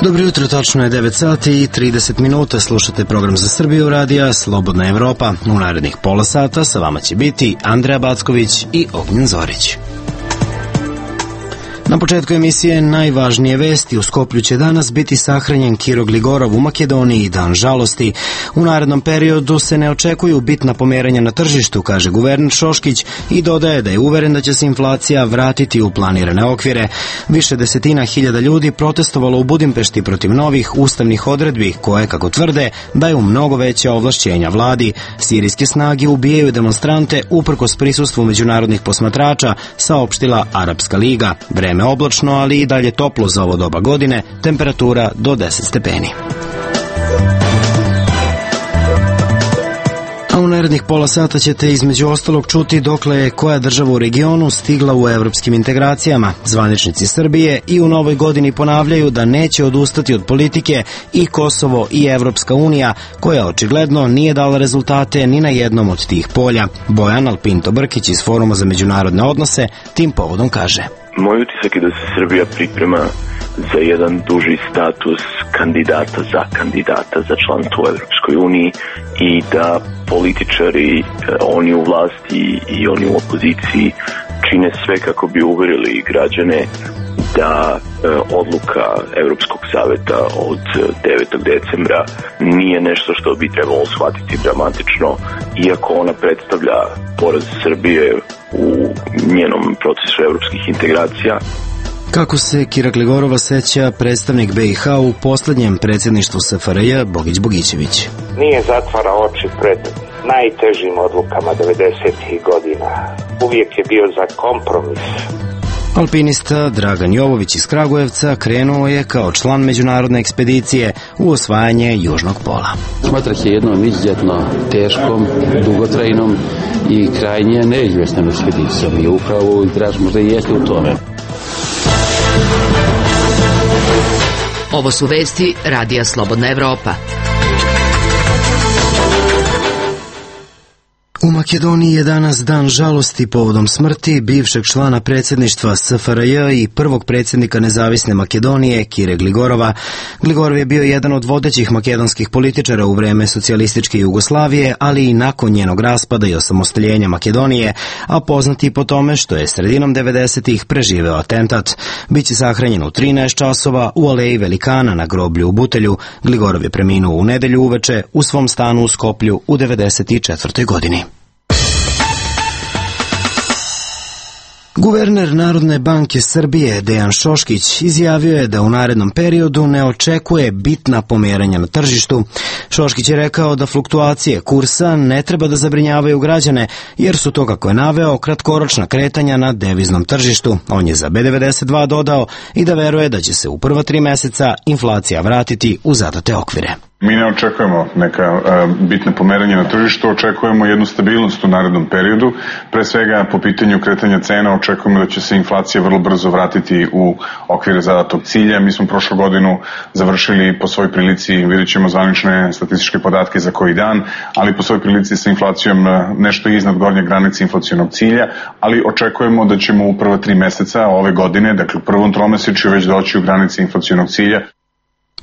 Dobro jutro, tačno je 9 sati i 30 minuta. Slušate program za Srbiju radija Slobodna Evropa. U narednih pola sata sa vama će biti Andreja Backović i Ognjen Zorić. Na početku emisije najvažnije vesti. U Skoplju će danas biti sahranjen Kiro Gligorov u Makedoniji, dan žalosti. U narednom periodu se ne očekuju bitna pomeranja na tržištu, kaže guverner Šoškić i dodaje da je uveren da će se inflacija vratiti u planirane okvire. Više desetina hiljada ljudi protestovalo u Budimpešti protiv novih ustavnih odredbi koje, kako tvrde, daju mnogo veće ovlašćenja vladi. Sirijske snage ubijaju demonstrante uprkos prisustvu međunarodnih posmatrača, saopštila Arapska liga. Vreme oblačno, ali i dalje toplo za ovo doba godine, temperatura do 10 stepeni. A u narednih pola sata ćete između ostalog čuti dokle je koja država u regionu stigla u evropskim integracijama. Zvaničnici Srbije i u novoj godini ponavljaju da neće odustati od politike i Kosovo i Evropska unija, koja očigledno nije dala rezultate ni na jednom od tih polja. Bojan Alpinto Brkić iz Foruma za međunarodne odnose tim povodom kaže: Moj utisak je da se Srbija priprema za jedan duži status kandidata za članstvo u Evropskoj uniji i da političari, oni u vlasti i oni u opoziciji, čine sve kako bi uverili građane da odluka Evropskog saveta od 9. decembra nije nešto što bi trebalo shvatiti dramatično, iako ona predstavlja poraz Srbije u njenom procesu evropskih integracija. Kako se Kira Gligorova seća predstavnik BiH u poslednjem predsjedništvu SFRJ Bogić Bogićević? Nije zatvara oči pred najtežim odlukama 90. godina. Uvijek je bio za kompromis. Alpinista Dragan Jovović iz Kragujevca krenuo je kao član međunarodne ekspedicije u osvajanje Južnog pola. Smatrah je jednom izuzetno teškom, dugotrajnom i krajnje neizvjesnom ekspedicijom i upravo igrač možda i jeste u tome. Ovo su vesti Radija Slobodna Evropa. U Makedoniji je danas dan žalosti povodom smrti bivšeg člana predsjedništva SFRJ i prvog predsjednika nezavisne Makedonije, Kire Gligorova. Gligorov je bio jedan od vodećih makedonskih političara u vreme socijalističke Jugoslavije, ali i nakon njenog raspada i osamostaljenja Makedonije, a poznati po tome što je sredinom 90-ih preživeo atentat. Biće sahranjen u 13 časova u Aleji Velikana na groblju u Butelju. Gligorov je preminuo u nedelju uveče u svom stanu u Skoplju u 94. godini. Guverner Narodne banke Srbije Dejan Šoškić izjavio je da u narednom periodu ne očekuje bitna pomeranja na tržištu. Šoškić je rekao da fluktuacije kursa ne treba da zabrinjavaju građane, jer su to, kako je naveo, kratkoročna kretanja na deviznom tržištu. On je za B92 dodao i da veruje da će se u prva 3 meseca inflacija vratiti u zadate okvire. Mi ne očekujemo neka bitna pomeranja na tržištu, očekujemo jednu stabilnost u narednom periodu. Pre svega po pitanju kretanja cena očekujemo da će se inflacija vrlo brzo vratiti u okvire zadatog cilja. Mi smo prošlu godinu završili po svoj prilici, vidjet ćemo zvanične statističke podatke za koji dan, ali po svoj prilici sa inflacijom nešto iznad gornje granice inflacionog cilja, ali očekujemo da ćemo u prva 3 meseca ove godine, dakle u prvom tromesečju, već doći u granice inflacionog cilja.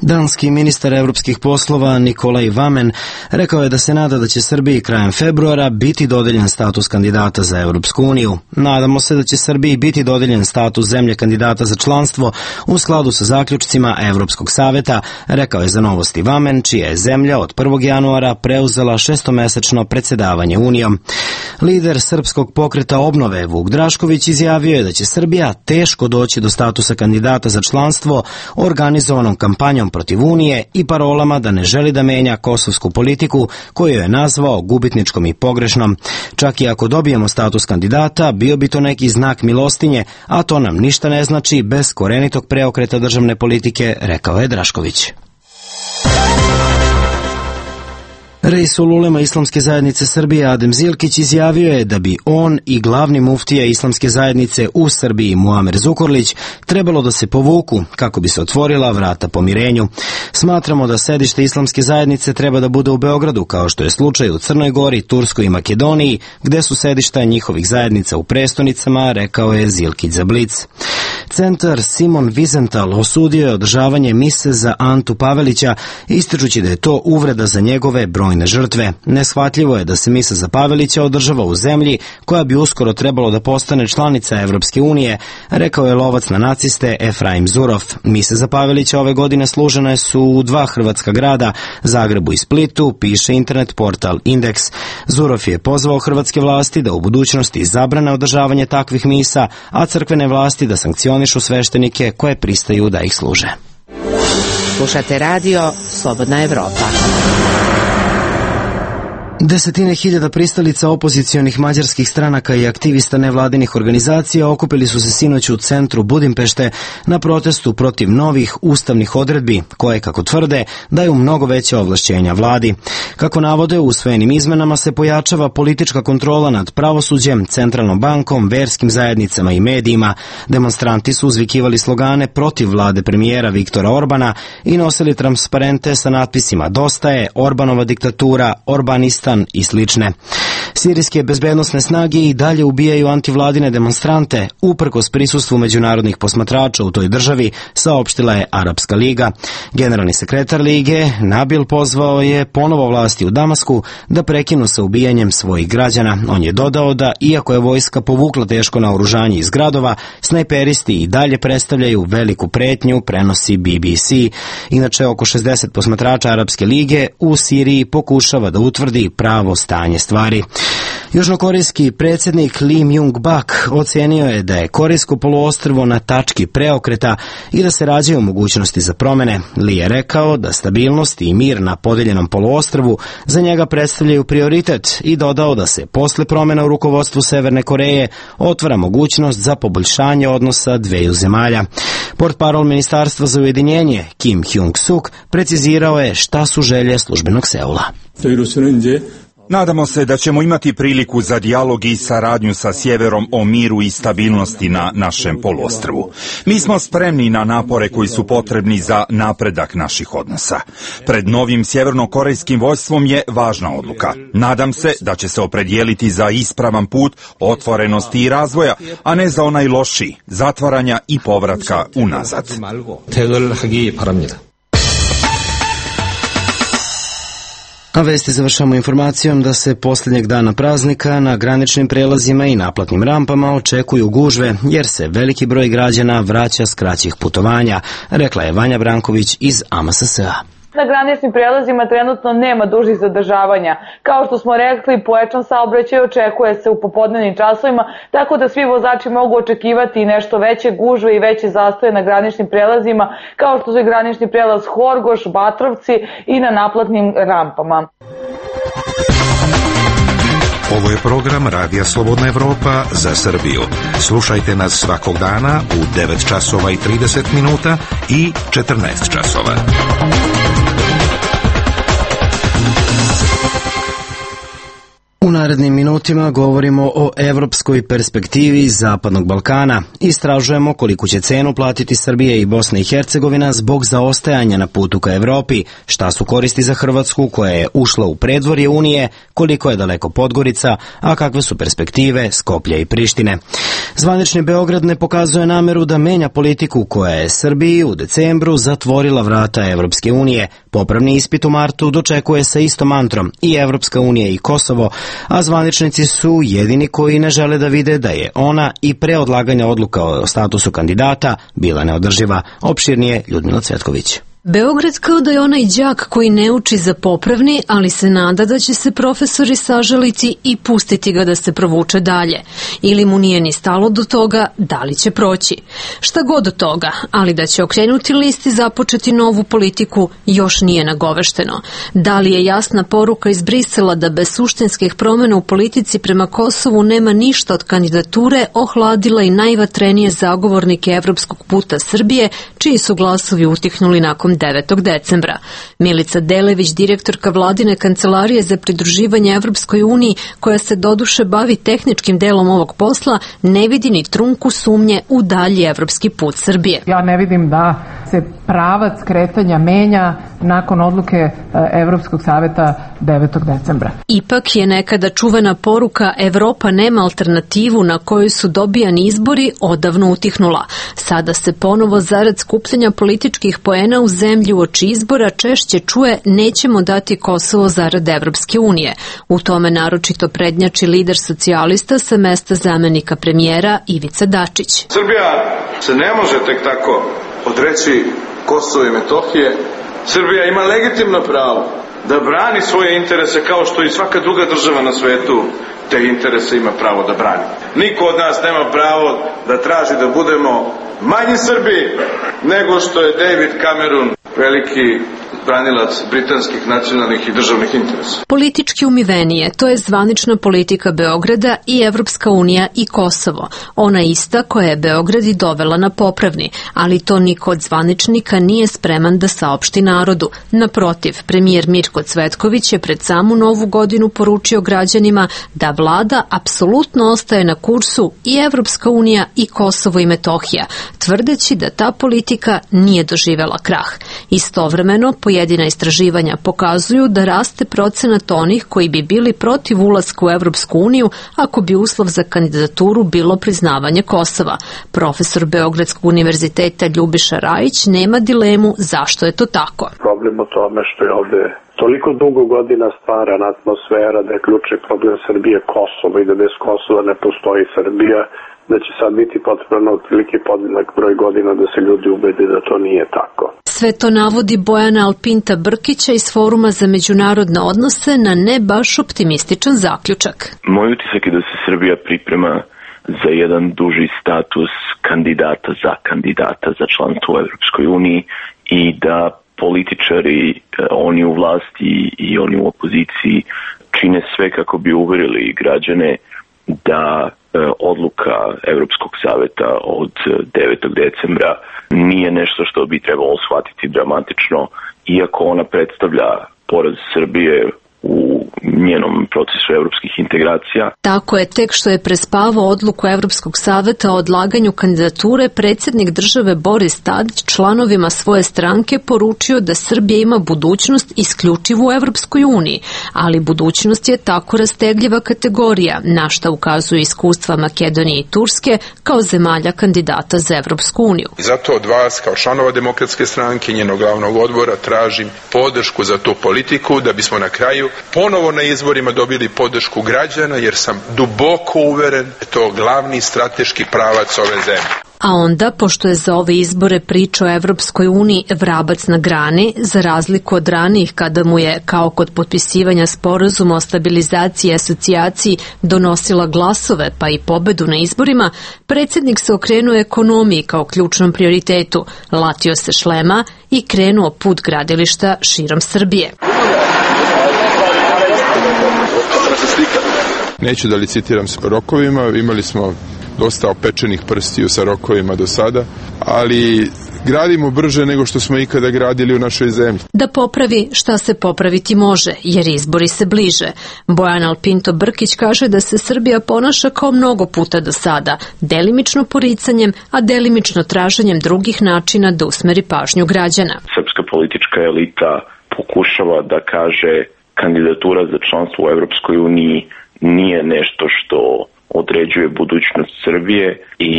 Danski ministar evropskih poslova Nikolaj Vamen rekao je da se nada da će Srbiji krajem februara biti dodeljen status kandidata za Evropsku uniju. Nadamo se da će Srbiji biti dodeljen status zemlje kandidata za članstvo u skladu sa zaključcima Evropskog saveta, rekao je za Novosti Vamen, čija je zemlja od 1. januara preuzela 6-mesečno predsjedavanje Unijom. Lider Srpskog pokreta obnove Vuk Drašković izjavio je da će Srbija teško doći do statusa kandidata za članstvo organizovanom kampanjom protiv Unije i parolama da ne želi da menja kosovsku politiku koju je nazvao gubitničkom i pogrešnom. Čak i ako dobijemo status kandidata, bio bi to neki znak milostinje, a to nam ništa ne znači bez korenitog preokreta državne politike, rekao je Drašković. Reisul ulema Islamske zajednice Srbije Adem Zilkić izjavio je da bi on i glavni muftija Islamske zajednice u Srbiji Muamer Zukorlić trebalo da se povuku kako bi se otvorila vrata pomirenju. Smatramo da sedište Islamske zajednice treba da bude u Beogradu, kao što je slučaj u Crnoj Gori, Turskoj i Makedoniji, gde su sedišta njihovih zajednica u prestonicama, rekao je Zilkić za Blic. Centar Simon Wiesenthal osudio je održavanje mise za Antu Pavelića, ističući da je to uvreda za njegove brojne žrtve. Neshvatljivo je da se misa za Pavelića održava u zemlji koja bi uskoro trebalo da postane članica Evropske unije, rekao je lovac na naciste Efraim Zurov. Mise za Pavelića ove godine služene su u 2 hrvatska grada, Zagrebu i Splitu, piše internet portal Indeks. Zurov je pozvao hrvatske vlasti da u budućnosti zabrane održavanje takvih misa, a crkvene vlasti da sankcionišu sveštenike koje pristaju da ih služe. Slušate radio Slobodna Evropa. Desetine hiljada pristalica opozicionih mađarskih stranaka i aktivista nevladinih organizacija okupili su se sinoć u centru Budimpešte na protestu protiv novih ustavnih odredbi, koje, kako tvrde, daju mnogo veće ovlašćenja vladi. Kako navode, u usvojenim izmenama se pojačava politička kontrola nad pravosuđem, centralnom bankom, verskim zajednicama i medijima. Demonstranti su uzvikivali slogane protiv vlade premijera Viktora Orbana i nosili transparente sa natpisima "Dosta je", "Orbanova diktatura", "Orbanistan" i slične. Sirijske bezbednosne snage i dalje ubijaju antivladine demonstrante, uprkos prisustvu međunarodnih posmatrača u toj državi, saopštila je Arapska liga. Generalni sekretar lige, Nabil, pozvao je ponovo vlasti u Damasku da prekinu sa ubijanjem svojih građana. On je dodao da, iako je vojska povukla teško naoružanje iz gradova, snajperisti i dalje predstavljaju veliku pretnju, prenosi BBC. Inače, oko 60 posmatrača Arapske lige u Siriji pokušava da utvrdi pravo stanje stvari. Južnokorejski predsjednik Lee Myung-bak ocenio je da je Korejsko poluostrvo na tački preokreta i da se rađaju mogućnosti za promene. Lee je rekao da stabilnost i mir na podeljenom poluostrvu za njega predstavljaju prioritet i dodao da se posle promena u rukovodstvu Severne Koreje otvara mogućnost za poboljšanje odnosa dveju zemalja. Portparol Ministarstva za ujedinjenje Kim Hyung-suk precizirao je šta su želje službenog Seula. Nadamo se da ćemo imati priliku za dijalog i saradnju sa sjeverom o miru i stabilnosti na našem poluostrvu. Mi smo spremni na napore koji su potrebni za napredak naših odnosa. Pred novim sjevernokorejskim vojstvom je važna odluka. Nadam se da će se opredijeliti za ispravan put otvorenosti i razvoja, a ne za onaj lošiji, zatvaranja i povratka unazad. A vesti završamo informacijom da se posljednjeg dana praznika na graničnim prelazima i naplatnim rampama očekuju gužve, jer se veliki broj građana vraća s kraćih putovanja, rekla je Vanja Branković iz AMSS-a. Na graničnim prijelazima trenutno nema dužih zadržavanja. Kao što smo rekli, pojačan saobraćaj očekuje se u popodnevnim časovima, tako da svi vozači mogu očekivati nešto veće gužve i veće zastoje na graničnim prijelazima, kao što je granični prijelaz Horgoš, Batrovci i na naplatnim rampama. Ovo je program Radija Slobodna Evropa za Srbiju. Slušajte nas svakog dana u 9 časova i 30 minuta i 14 časova. U narednim minutima govorimo o evropskoj perspektivi Zapadnog Balkana. Istražujemo koliko će cenu platiti Srbija i Bosna i Hercegovina zbog zaostajanja na putu ka Evropi, šta su koristi za Hrvatsku koja je ušla u predvorje Unije, koliko je daleko Podgorica, a kakve su perspektive Skoplja i Prištine. Zvanični Beograd ne pokazuje nameru da menja politiku koja je Srbiji u decembru zatvorila vrata Evropske unije. Popravni ispit u martu dočekuje sa istom mantrom i Evropska unija i Kosovo, a zvaničnici su jedini koji ne žele da vide da je ona i pre odlaganja odluka o statusu kandidata bila neodrživa. Opširnije Ljudmila Cvetković. Beograd kao da je onaj đak koji ne uči za popravni, ali se nada da će se profesori sažaliti i pustiti ga da se provuče dalje. Ili mu nije ni stalo do toga da li će proći. Šta god od toga, ali da će okrenuti list i započeti novu politiku još nije nagovešteno. Da li je jasna poruka iz Brisela da bez suštinskih promjena u politici prema Kosovu nema ništa od kandidature, ohladila i najvatrenije zagovornike evropskog puta Srbije, čiji su glasovi utihnuli nakon tokom 9. decembra. Milica Delević, direktorka vladine kancelarije za pridruživanje Evropskoj uniji, koja se doduše bavi tehničkim delom ovog posla, ne vidi ni trunku sumnje u dalji evropski put Srbije. Ja ne vidim da se pravac kretanja menja nakon odluke Evropskog saveta 9. decembra. Ipak je nekada čuvena poruka Evropa nema alternativu na kojoj su dobijani izbori odavno utihnula. Sada se ponovo zarad skupljanja političkih poena u zemlji uoči izbora češće čuje nećemo dati Kosovo zarad Evropske unije. U tome naročito prednjači lider socijalista sa mesta zamenika premijera Ivica Dačić. Srbija se ne može tek tako odreći Kosovo i Metohije. Srbija ima legitimno pravo da brani svoje interese kao što i svaka druga država na svetu te interese ima pravo da brani. Niko od nas nema pravo da traži da budemo manji Srbi nego što je David Cameron, veliki branilac britanskih nacionalnih i državnih interesa. Politički umivenije, to je zvanična politika Beograda i Evropska unija i Kosovo. Ona ista koja je Beograd i dovela na popravni, ali to niko od zvaničnika nije spreman da saopšti narodu. Naprotiv, premijer Mirko Cvetković je pred samu novu godinu poručio građanima da vlada apsolutno ostaje na kursu i Evropska unija i Kosovo i Metohija, tvrdeći da ta politika nije doživela krah. Istovremeno, pojedina istraživanja pokazuju da raste procenat onih koji bi bili protiv ulaska u Evropsku uniju ako bi uslov za kandidaturu bilo priznavanje Kosova. Profesor Beogradskog univerziteta Ljubiša Rajić nema dilemu zašto je to tako. Problem u tome što je ovde toliko dugo godina stvarana atmosfera da je ključni problem Srbije Kosovo i da bez Kosova ne postoji Srbija, da će sad biti potrebno otprilike podjednak broj godina da se ljudi ubede da to nije tako. Sve to navodi Bojana Alpinta Brkića iz Foruma za međunarodne odnose na ne baš optimističan zaključak. Moj utisak je da se Srbija priprema za jedan duži status kandidata za članstvo u Evropskoj uniji i da političari, oni u vlasti i oni u opoziciji čine sve kako bi uverili građane da odluka Evropskog saveta od 9. decembra nije nešto što bi trebalo shvatiti dramatično, iako ona predstavlja poraz Srbije u njenom procesu evropskih integracija. Tako je, tek što je prespavao odluku Evropskog saveta o odlaganju kandidature, predsjednik države Boris Tadić članovima svoje stranke poručio da Srbija ima budućnost isključivo u Evropskoj uniji, ali budućnost je tako rastegljiva kategorija, na šta ukazuju iskustva Makedonije i Turske kao zemalja kandidata za Evropsku uniju. I zato od vas, kao članova Demokratske stranke i njenog glavnog odbora, tražim podršku za tu politiku da bismo na kraju ponovo na izborima dobili podršku građana, jer sam duboko uveren da je to glavni strateški pravac ove zemlje. A onda, pošto je za ove izbore priča o Evropskoj uniji vrabac na grani, za razliku od ranijih kada mu je, kao kod potpisivanja sporazuma o stabilizaciji i asocijaciji, donosila glasove pa i pobedu na izborima, predsjednik se okrenuo ekonomiji kao ključnom prioritetu, latio se šlema i krenuo put gradilišta širom Srbije. Neću da licitiram s rokovima, imali smo dosta opečenih prstiju sa rokovima do sada, ali gradimo brže nego što smo ikada gradili u našoj zemlji. Da popravi šta se popraviti može, jer izbori se bliže. Bojan Alpinto Brkić kaže da se Srbija ponaša kao mnogo puta do sada, delimično poricanjem, a delimično traženjem drugih načina da usmeri pažnju građana. Srpska politička elita pokušava da kaže kandidatura za članstvo u Evropskoj uniji nije nešto što određuje budućnost Srbije i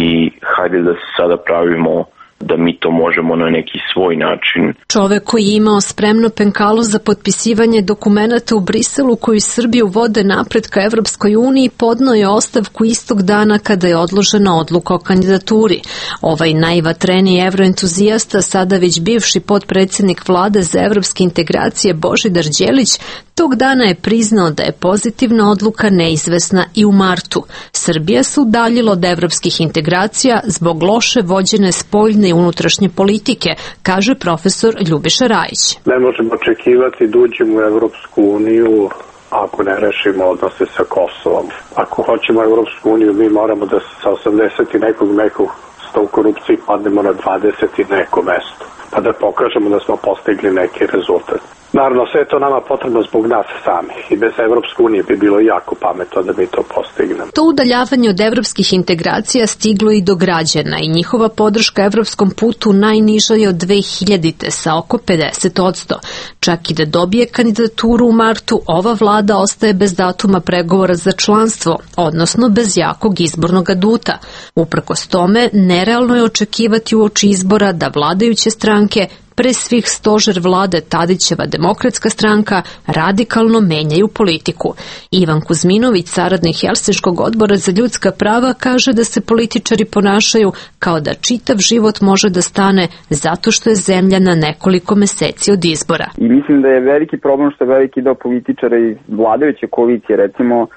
hajde da se sada pravimo da mi to možemo na neki svoj način. Čovek koji je imao spremno penkalo za potpisivanje dokumenata u Briselu koji Srbiju vode napred ka Evropskoj uniji podneo je ostavku istog dana kada je odložena odluka o kandidaturi. Ovaj najvatreniji evroentuzijasta, sada već bivši potpredsjednik vlade za evropske integracije Božidar Đelić, tog dana je priznao da je pozitivna odluka neizvesna i u martu. Srbija se udaljila od evropskih integracija zbog loše vođene spoljne i unutrašnje politike, kaže profesor Ljubiša Rajić. Ne možemo očekivati da uđemo u Evropsku uniju ako ne rešimo odnose sa Kosovom. Ako hoćemo Evropsku uniju, mi moramo da sa 80 i nekog mekog sto u korupciji padnemo na 20 i neko mesto. pa da pokažemo da smo postigli neki rezultat. Naravno, sve je to nama potrebno zbog nas samih i bez Evropske unije bi bilo jako pametno da mi to postignemo. To udaljavanje od evropskih integracija stiglo i do građana i njihova podrška evropskom putu najniža je od 2000. sa oko 50%. Čak i da dobije kandidaturu u martu, ova vlada ostaje bez datuma pregovora za članstvo, odnosno bez jakog izbornog aduta. Uprkos tome, nerealno je očekivati uoči izbora da vladajuće stranke, pre svih stožer vlade Tadićeva Demokratska stranka, radikalno menjaju politiku. Ivan Kuzminović, saradnik Helsinškog odbora za ljudska prava, kaže da se političari ponašaju kao da čitav život može da stane zato što je zemlja na nekoliko meseci od izbora. I mislim da je veliki problem što je veliki deo političara iz vladajuće koalicije, recimo,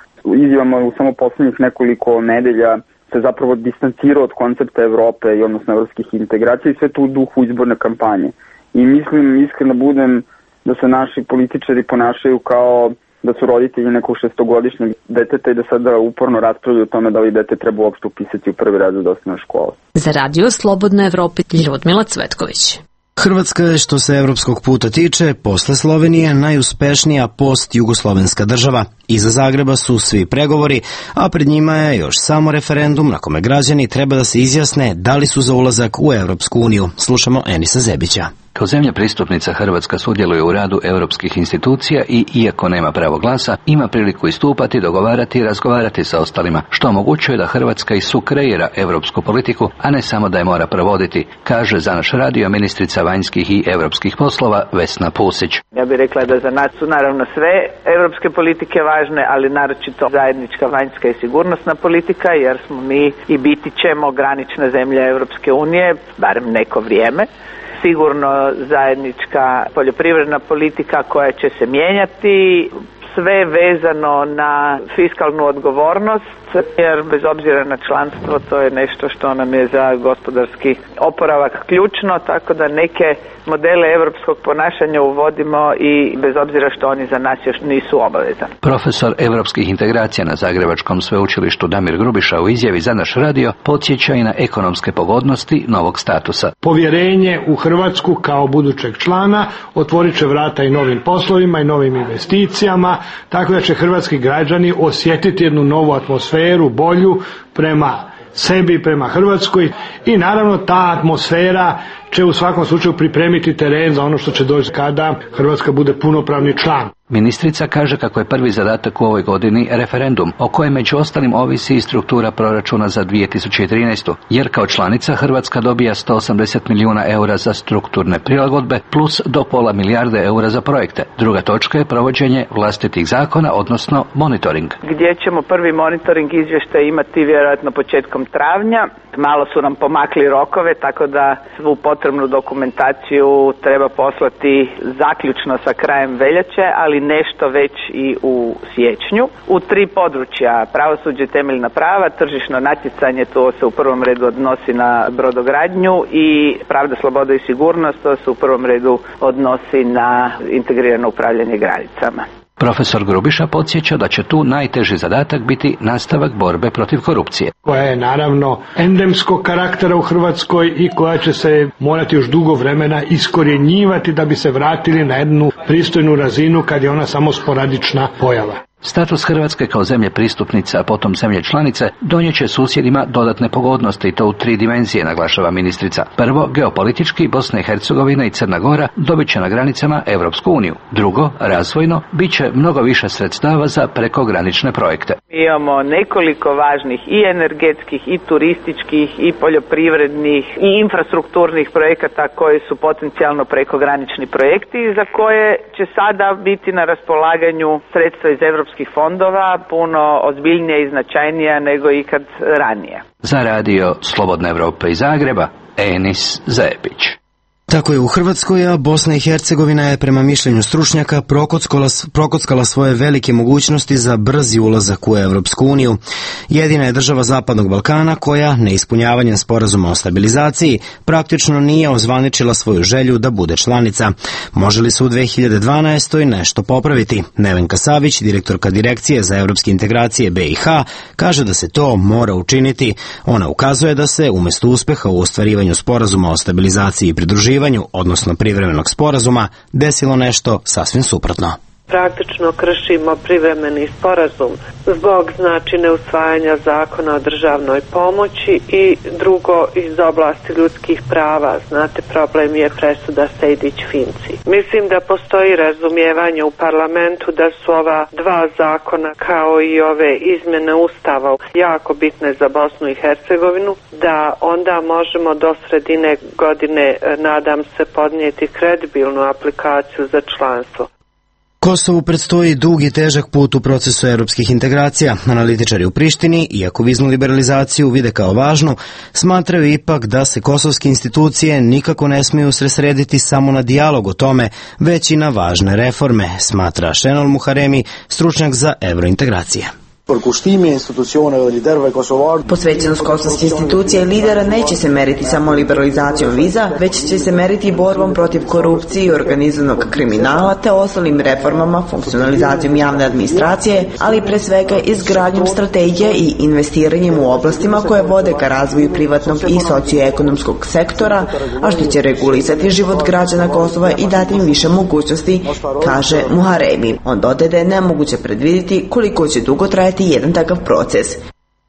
izjavama u samo poslednjih nekoliko nedelja se zapravo distancirao od koncepta Evrope i odnosno evropskih integracija i sve to u duhu izborne kampanje. I mislim, iskreno budem, da se naši političari ponašaju kao da su roditelji nekog 6-godišnjeg deteta i da sada uporno raspravljaju o tome da li dete treba uopšte upisati u prvi razred osnovne škole. Za Radio Slobodna Evropa, Ljudmila Cvetković. Hrvatska je, što se evropskog puta tiče, posle Slovenije najuspešnija post-jugoslovenska država. Iza Zagreba su svi pregovori, a pred njima je još samo referendum na kome građani treba da se izjasne da li su za ulazak u Evropsku uniju. Slušamo Enisa Zebića. Kao zemlja pristupnica Hrvatska sudjeluje u radu europskih institucija i, iako nema pravo glasa, ima priliku istupati, dogovarati i razgovarati sa ostalima, što omogućuje da Hrvatska i sukreira europsku politiku, a ne samo da je mora provoditi, kaže za naš radio ministrica vanjskih i europskih poslova Vesna Pusić. Ja bih rekla da za nas su naravno sve europske politike važne, ali naročito zajednička vanjska i sigurnosna politika, jer smo mi i biti ćemo granična zemlja Europske unije, barem neko vrijeme. Sigurno zajednička poljoprivredna politika koja će se mijenjati, sve vezano na fiskalnu odgovornost, jer bez obzira na članstvo to je nešto što nam je za gospodarski oporavak ključno, tako da neke modele europskog ponašanja uvodimo i bez obzira što oni za nas još nisu obavezani. Profesor europskih integracija na Zagrebačkom sveučilištu Damir Grubiša u izjavi za naš radio podsjeća i na ekonomske pogodnosti novog statusa. Povjerenje u Hrvatsku kao budućeg člana otvorit će vrata i novim poslovima i novim investicijama, tako da će hrvatski građani osjetiti jednu novu atmosferu, bolju prema sebi, prema Hrvatskoj i naravno ta atmosfera će u svakom slučaju pripremiti teren za ono što će doći kada Hrvatska bude punopravni član. Ministrica kaže kako je prvi zadatak u ovoj godini referendum, o kojem među ostalim ovisi i struktura proračuna za 2013. Jer kao članica Hrvatska dobija 180 milijuna eura za strukturne prilagodbe plus do pola milijarde eura za projekte. Druga točka je provođenje vlastitih zakona, odnosno monitoring. Gdje ćemo prvi monitoring izvještaj imati vjerojatno početkom travnja. Malo su nam pomakli rokove, tako da svu potrebnu dokumentaciju treba poslati zaključno sa krajem veljače, ali nešto već i u siječnju. U 3 područja, pravosuđe, temeljna prava, tržišno natjecanje, to se u prvom redu odnosi na brodogradnju i pravda, sloboda i sigurnost, to se u prvom redu odnosi na integrirano upravljanje granicama. Profesor Grubiša podsjeća da će tu najteži zadatak biti nastavak borbe protiv korupcije. Koja je naravno endemskog karaktera u Hrvatskoj i koja će se morati još dugo vremena iskorjenjivati da bi se vratili na jednu pristojnu razinu kad je ona samo sporadična pojava. Status Hrvatske kao zemlje pristupnice, a potom zemlje članice, donijeće susjedima dodatne pogodnosti i to u 3 dimenzije, naglašava ministrica. Prvo, geopolitički, Bosna i Hercegovina i Crna Gora dobit će na granicama Evropsku uniju. Drugo, razvojno, bit će mnogo više sredstava za prekogranične projekte. Imamo nekoliko važnih i energetskih, i turističkih, i poljoprivrednih, i infrastrukturnih projekata koji su potencijalno prekogranični projekti za koje će sada biti na raspolaganju sredstva iz europskih fondova puno ozbiljnije i značajnija nego ikad ranije. Za radio Slobodna Evropa iz Zagreba, Enis Zebić. Tako je u Hrvatskoj, a Bosna i Hercegovina je prema mišljenju stručnjaka prokockala svoje velike mogućnosti za brzi ulazak u Evropsku uniju. Jedina je država Zapadnog Balkana koja, neispunjavanjem sporazuma o stabilizaciji, praktično nije ozvaničila svoju želju da bude članica. Može li se u 2012. nešto popraviti? Nevenka Savić, direktorka Direkcije za evropske integracije BiH, kaže da se to mora učiniti. Ona ukazuje da se, umjesto uspeha u ostvarivanju sporazuma o stabilizaciji i pridruživanju, potvrđivanju, odnosno privremenog sporazuma, desilo nešto sasvim suprotno. Praktično kršimo privremeni sporazum zbog neusvajanja zakona o državnoj pomoći i drugo iz oblasti ljudskih prava. Znate, problem je presuda Sejdić-Finci. Mislim da postoji razumijevanje u parlamentu da su ova dva zakona kao i ove izmjene Ustava jako bitne za Bosnu i Hercegovinu, da onda možemo do sredine godine, nadam se, podnijeti kredibilnu aplikaciju za članstvo. Kosovu predstoji dug i težak put u procesu evropskih integracija. Analitičari u Prištini, iako viznu liberalizaciju vide kao važnu, smatraju ipak da se kosovske institucije nikako ne smiju usredsrediti samo na dijalog o tome, već i na važne reforme, smatra Šenol Muharemi, stručnjak za evrointegracije. Posvećenost kosovskih institucija i lidera neće se meriti samo liberalizacijom viza, već će se meriti borbom protiv korupcije i organizovanog kriminala te ostalim reformama, funkcionalizacijom javne administracije, ali pre svega izgradnjom strategije i investiranjem u oblastima koje vode ka razvoju privatnog i socioekonomskog sektora, a što će regulisati život građana Kosova i dati im više mogućnosti, kaže Muharemi. On dodaje da je nemoguće predvidjeti koliko će dugo trajati jedan takav proces.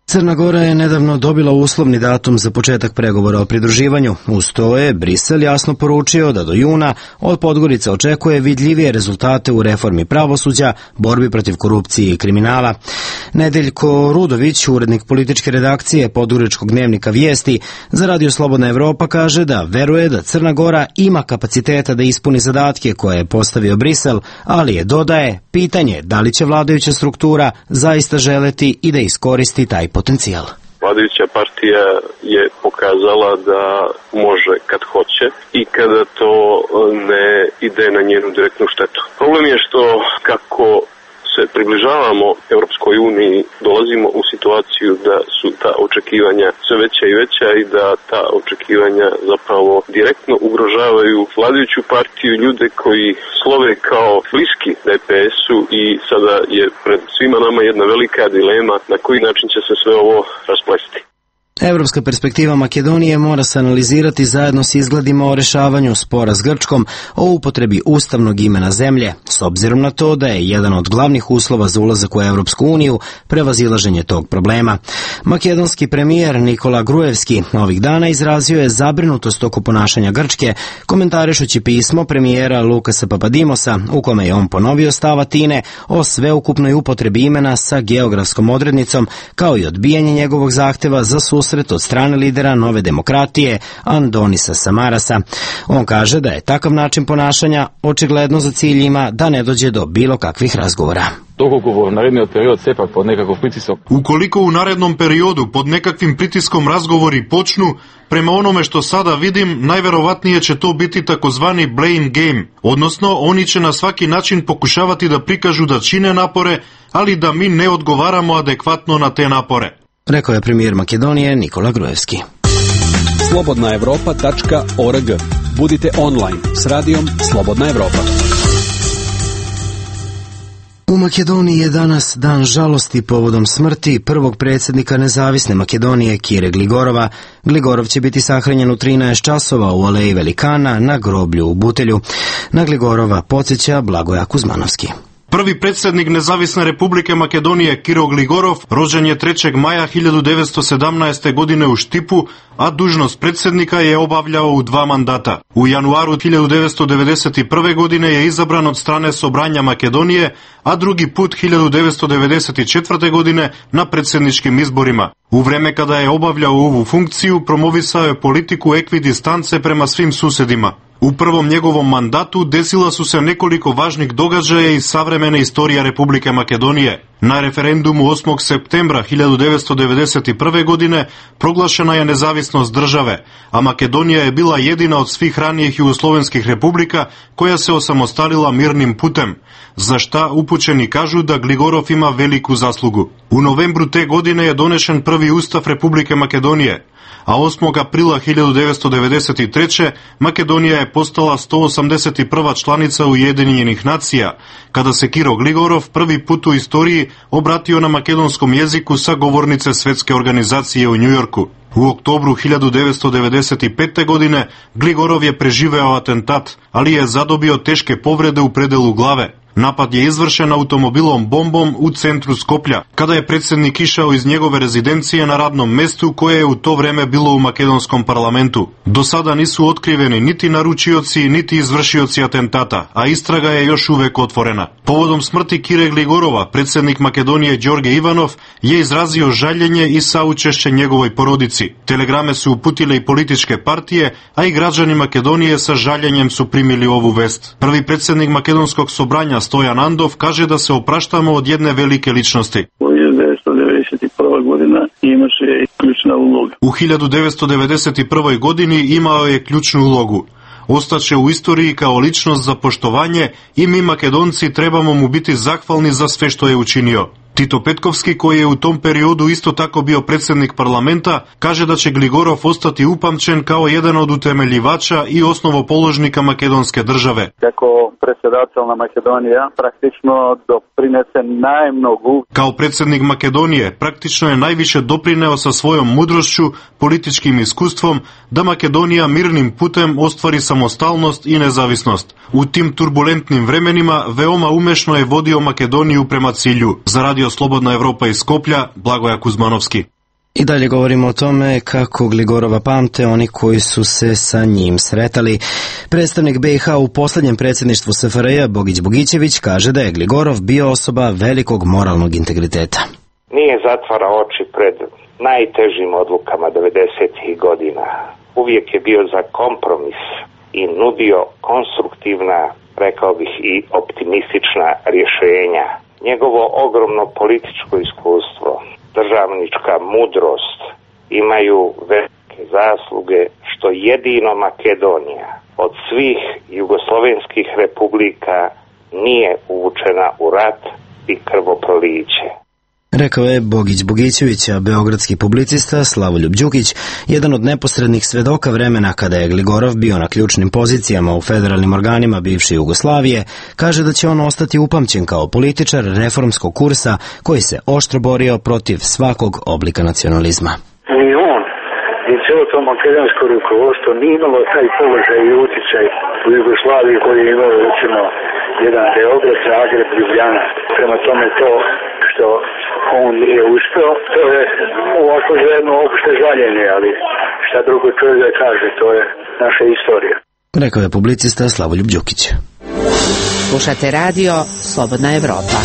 Crna Gora je nedavno dobila uslovni datum za početak pregovora o pridruživanju. Uz to je Brisel jasno poručio da do juna od Podgorice očekuje vidljivije rezultate u reformi pravosuđa, borbi protiv korupcije i kriminala. Nedeljko Rudović, urednik političke redakcije Podgoričkog dnevnika Vijesti za Radio Slobodna Evropa, kaže da veruje da Crna Gora ima kapaciteta da ispuni zadatke koje je postavio Brisel, ali je, dodaje, pitanje da li će vladajuća struktura zaista želeti i da iskoristi taj potencijal. Vladajuća partija je pokazala da može kad hoće i kada to ne ide na njenu direktnu štetu. Problem je što kako se približavamo Europskoj uniji, dolazimo u situaciju da su ta očekivanja sve veća i veća i da ta očekivanja zapravo direktno ugrožavaju vladajuću partiju, ljude koji slove kao bliski DPS-u i sada je pred svima nama jedna velika dilema na koji način će se sve ovo rasplesti. Evropska perspektiva Makedonije mora se analizirati zajedno s izgledima o rešavanju spora s Grčkom o upotrebi ustavnog imena zemlje, s obzirom na to da je jedan od glavnih uslova za ulazak u Evropsku uniju prevazilaženje tog problema. Makedonski premijer Nikola Gruevski ovih dana izrazio je zabrinutost oko ponašanja Grčke, komentarišući pismo premijera Lukasa Papadimosa, u kome je on ponovio stav Atine o sveukupnoj upotrebi imena sa geografskom odrednicom, kao i odbijanje njegovog zahteva za susret od strane lidera Nove demokratije Andonisa Samarasa. On kaže da je takav način ponašanja očigledno za cilj ima da ne dođe do bilo kakvih razgovora. Ukoliko u narednom periodu pod nekakvim pritiskom razgovori počnu, prema onome što sada vidim, najverovatnije će to biti takozvani blame game, odnosno oni će na svaki način pokušavati da prikažu da čine napore, ali da mi ne odgovaramo adekvatno na te napore, rekao je premijer Makedonije Nikola Gruevski. slobodnaevropa.org. Budite online s radijom Slobodna Evropa. U Makedoniji je danas dan žalosti povodom smrti prvog predsjednika nezavisne Makedonije Kire Gligorova. Gligorov će biti sahranjen u 13 časova u Aleji Velikana na groblju u Butelju. Na Gligorova podsjeća Blagoja Kuzmanovski. Prvi predsjednik Nezavisne Republike Makedonije Kiro Gligorov rođen je 3. maja 1917. godine u Štipu, a dužnost predsjednika je obavljao u 2 mandata. U januaru 1991. godine je izabran od strane Sobranja Makedonije, a drugi put 1994. godine na predsjedničkim izborima. U vreme kada je obavljao ovu funkciju, promovisao je politiku ekvidistance prema svim susedima. U prvom njegovom mandatu desila su se nekoliko važnih događaja iz savremene istorije Republike Makedonije. Na referendumu 8. septembra 1991. godine proglašena je nezavisnost države, a Makedonija je bila jedina od svih ranijih jugoslovenskih republika koja se osamostalila mirnim putem, za šta upućeni kažu da Gligorov ima veliku zaslugu. U novembru te godine je donešen prvi ustav Republike Makedonije, a 8. aprila 1993. Makedonija je postala 181. članica Ujedinjenih nacija, kada se Kiro Gligorov prvi put u istoriji obratio na makedonskom jeziku sa govornice Svetske organizacije u Njujorku. U oktobru 1995. godine Gligorov je preživeo atentat, ali je zadobio teške povrede u predelu glave. Napad je izvršen automobilom bombom u centru Skoplja, kada je predsjednik išao iz njegove rezidencije na radnom mestu koje je u to vreme bilo u makedonskom parlamentu. Do sada nisu otkriveni niti naručioci, niti izvršioci atentata, a istraga je još uvek otvorena. Povodom smrti Kire Gligorova, predsjednik Makedonije Đorđe Ivanov je izrazio žaljenje i saučešće njegovoj porodici. Telegrame su uputile i političke partije, a i građani Makedonije sa žaljenjem su primili ovu vest. Prvi predsjednik makedonskog sobranja Stojan Andov kaže da se opraštamo od jedne velike ličnosti. U 1991. godina imaše ključna uloga. U 1991. godini imao je ključnu ulogu. Ostaće u istoriji kao ličnost za poštovanje i mi Makedonci trebamo mu biti zahvalni za sve što je učinio. Tito Petkovski, koji je u tom periodu isto tako bio predsjednik parlamenta, kaže da će Gligorov ostati upamćen kao jedan od utemeljivača i osnovopoložnika makedonske države. Kako predsjedatelna Makedonija praktično doprinese najmnogu. Kao predsjednik Makedonije praktično je najviše doprineo sa svojom mudrošću, političkim iskustvom, da Makedonija mirnim putem ostvari samostalnost i nezavisnost. U tim turbulentnim vremenima veoma umešno je vodio Makedoniju prema cilju. Za Radio Slobodna Evropa iz Skoplja, Blagoja Kuzmanovski. I dalje govorimo o tome kako Gligorova pamte oni koji su se sa njim sretali. Predstavnik BiH u posljednjem predsjedništvu SFRJ Bogić Bogićević kaže da je Gligorov bio osoba velikog moralnog integriteta. Nije zatvarao oči pred najtežim odlukama 90. godina. Uvijek je bio za kompromis i nudio konstruktivna, rekao bih i optimistična rješenja. Njegovo ogromno političko iskustvo, državnička mudrost imaju velike zasluge što jedino Makedonija od svih jugoslovenskih republika nije uvučena u rat i krvoproliće. Rekao je Bogić Bogićević, a beogradski publicista Slavoljub Đukić, jedan od neposrednih svedoka vremena kada je Gligorov bio na ključnim pozicijama u federalnim organima bivše Jugoslavije, kaže da će on ostati upamćen kao političar reformskog kursa koji se oštro borio protiv svakog oblika nacionalizma. Ni on, ni cijelo to makedonsko rukovodstvo nije imalo taj položaj i utjecaj u Jugoslaviji koji je imao recimo jedan Beograd, Zagreb, Ljubljana. Prema tome to što on nije uspeo, to je ovako jedno opšte žaljenje, ali šta drugo čovjek da kaže, to je naša istorija. Rekao je publicista Slavoljub Đukić. Slušate radio Slobodna Evropa.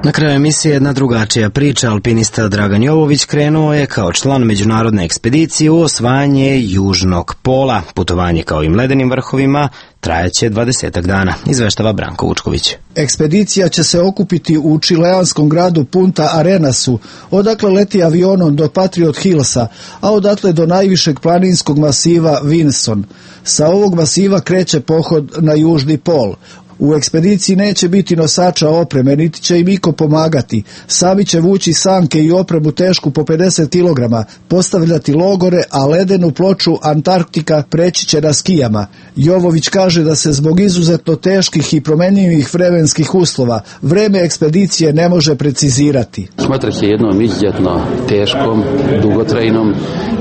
Na kraju emisije jedna drugačija priča. Alpinista Dragan Jovović krenuo je kao član međunarodne ekspedicije u osvajanje južnog pola. Putovanje kao i ledenim vrhovima trajaće 20 dana, izveštava Branko Vučković. Ekspedicija će se okupiti u čileanskom gradu Punta Arenasu, odakle leti avionom do Patriot Hillsa, a odatle do najvišeg planinskog masiva Vinson. Sa ovog masiva kreće pohod na južni pol. U ekspediciji neće biti nosača opreme, niti će im iko pomagati. Sami će vući sanke i opremu tešku po 50 kg, postavljati logore, a ledenu ploču Antarktika preći će na skijama. Jovović kaže da se zbog izuzetno teških i promenljivih vremenskih uslova vreme ekspedicije ne može precizirati. Smatra se jednom izuzetno teškom, dugotrajnom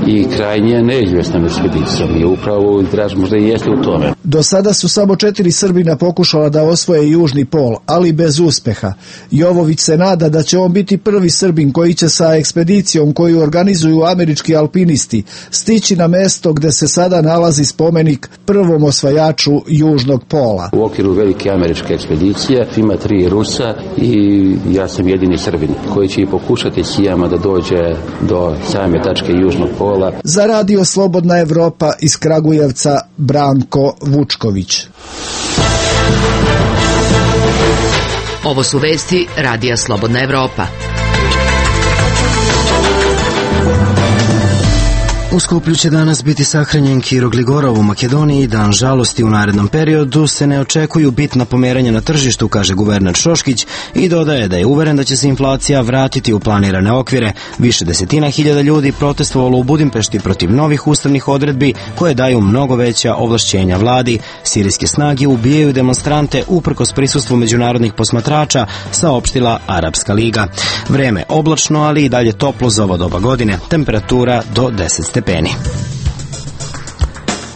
i krajnje neizvjesnom ekspedicijom i upravo draž možda i jeste u tome. Do sada su samo 4 Srbina pokušala da osvoje južni pol, ali bez uspeha. Jovović se nada da će on biti prvi Srbin koji će sa ekspedicijom koju organizuju američki alpinisti stići na mesto gde se sada nalazi spomenik prvom osvajaču južnog pola. U okviru velike američke ekspedicije ima 3 Rusa i ja sam jedini Srbin koji će i pokušati skijama da dođe do same tačke južnog pola. Za Radio Slobodna Evropa iz Kragujevca, Branko Vučković. Ovo su vesti Radija Slobodna Evropa. U Skoplju će danas biti sahranjen Kiro Gligorov u Makedoniji. Dan žalosti u narednom periodu se ne očekuju bitna pomeranja na tržištu, kaže guverner Šoškić, i dodaje da je uveren da će se inflacija vratiti u planirane okvire. Više desetina hiljada ljudi protestovalo u Budimpešti protiv novih ustavnih odredbi koje daju mnogo veća ovlašćenja vladi. Sirijske snage ubijaju demonstrante uprkos prisustvu međunarodnih posmatrača, saopštila Arapska liga. Vreme oblačno, ali i dalje toplo za ovo doba godine. Temperatura do 10 stepeni.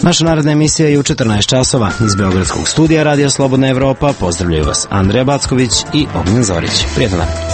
Naša naredna emisija je u 14 časova. Iz Beogradskog studija Radija Slobodna Evropa pozdravljaju vas Andreja Backović i Ognjen Zorić. Prijetno dan.